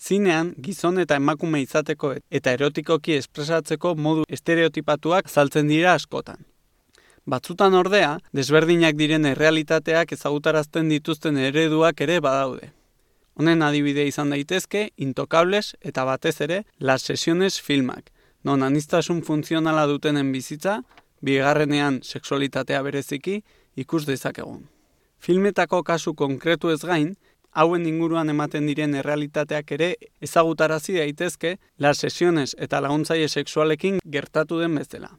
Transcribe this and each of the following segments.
Zinean, gizon eta emakume izateko eta erotikoki espresatzeko modu estereotipatuak azaltzen dira askotan. Batzutan ordea, desberdinak diren errealitateak ezagutarazten dituzten ereduak ere badaude. Honen adibide izan daitezke, Intocables eta batez ere, Las Sesiones filmak, non aniztasun funtzionala dutenen bizitza, bigarrenean sexualitatea bereziki, ikus dezakegun. Filmetako kasu konkretu ez gain, hauen inguruan ematen diren errealitateak ere ezagutarazi daitezke Las Sesiones eta laguntzaile sexualekin gertatu den bezala.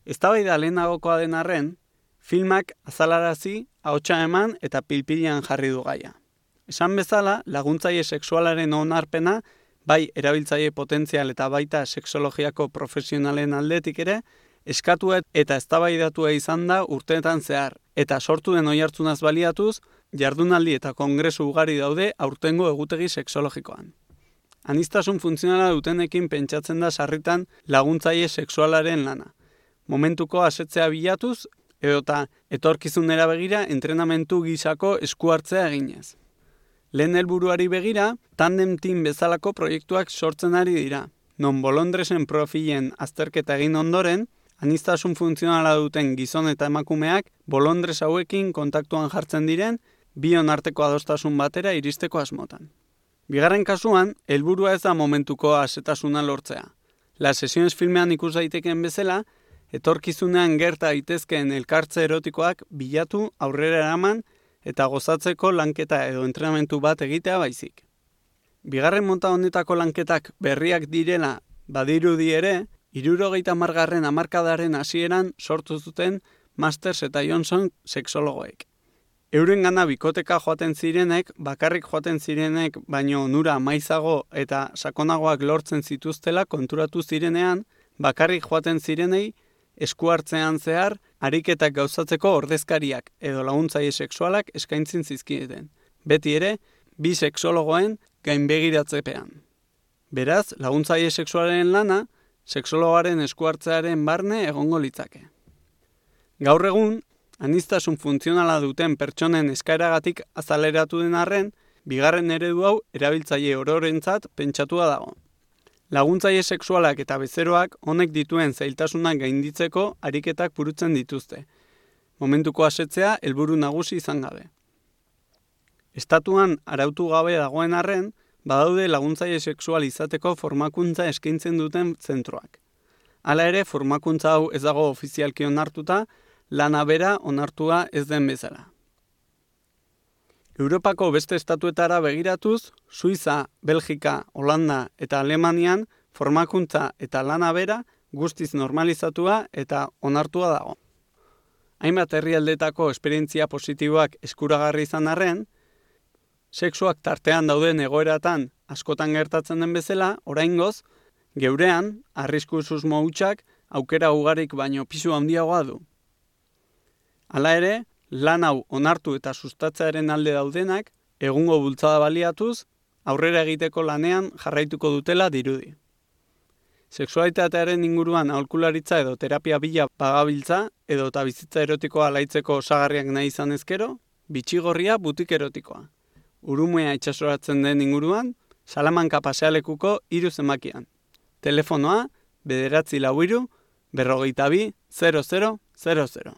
Eztabaida lehenagokoa den arren, filmak azalarazi, ahotsa eman eta pilpilean jarri du gaia. Esan bezala, laguntzaile sexualaren onarpena, bai erabiltzaile potentzial eta baita sexologiako profesionalen aldetik ere, eskatu eta eztabaidatua izan da urteetan zehar, eta sortu den oihartzunaz baliatuz, jardunaldi eta kongresu ugari daude aurtengo egutegi sexologikoan. Aniztasun funtzionala dutenekin pentsatzen da sarritan laguntzaile sexualaren lana. Momentuko asetzea bilatuz, edota etorkizunera begira entrenamentu gisako esku hartzea eginez. Lehen helburuari begira, tandem team bezalako proiektuak sortzen ari dira, non bolondresen profilen azterketa egin ondoren, aniztasun funtzionala duten gizon eta emakumeak bolondres hauekin kontaktuan jartzen diren, bion arteko adostasun batera iristeko asmotan. Bigarren kasuan, helburua ez da momentuko asetasuna lortzea. Las Sesiones filmean ikus daiteken bezala, etorkizunean gerta daitezkeen elkartze erotikoak bilatu, aurrera eraman eta gozatzeko lanketa edo entrenamentu bat egitea baizik. Bigarren mota honetako lanketak berriak direla badirudi ere, 70. hamarkadaren hasieran sortu zuten Masters eta Johnson sexologoek. Eurengana bikoteka joaten zirenek, bakarrik joaten zirenek, baino onura maizago eta sakonagoak lortzen zituztela konturatu zirenean, bakarrik joaten zirenei esku hartzean zehar, ariketak gauzatzeko ordezkariak edo laguntzaile sexualak eskaintzen zizkieten. Beti ere, bi sexologoen gainbegiratzepean. Beraz, laguntzaile sexualaren lana, sexologoaren esku hartzearen barne egongo litzake. Gaur egun, aniztasun funtzionala duten pertsonen eskaeragatik azaleratu den arren, bigarren eredu hau erabiltzaile ororentzat pentsatua dago. Laguntzaile sexualak eta bezeroak honek dituen zailtasunak gainditzeko ariketak burutzen dituzte. Momentuko asetzea helburu nagusi izan gabe. Estatuan arautu gabe dagoen arren, badaude laguntzaile sexual izateko formakuntza eskaintzen duten zentroak. Hala ere, formakuntza hau ez dago ofizialki onartuta, lana bera onartua ez den bezala. Europako beste estatuetara begiratuz, Suiza, Belgika, Holanda eta Alemanian formakuntza eta lana bera guztiz normalizatua eta onartua dago. Hainbat herrialdetako esperientzia positiboak eskuragarri izan arren, sexuak tartean dauden egoeratan askotan gertatzen den bezala, oraingoz, geurean, arrisku susmo hutsak aukera ugarik baino pisu handiagoa du. Hala ere, lan hau onartu eta sustatzearen alde daudenak, egungo bultzada baliatuz, aurrera egiteko lanean jarraituko dutela dirudi. Sexualitatearen inguruan aholkularitza edo terapia bila bagabiltza edo eta bizitza erotikoa alaitzeko osagarriak nahi izan ezkero, bitxigorria butik erotikoa. Urumea itsasoratzen den inguruan, Salamanca pasealekuko 3 zenbakian. Telefonoa 943 42 0000.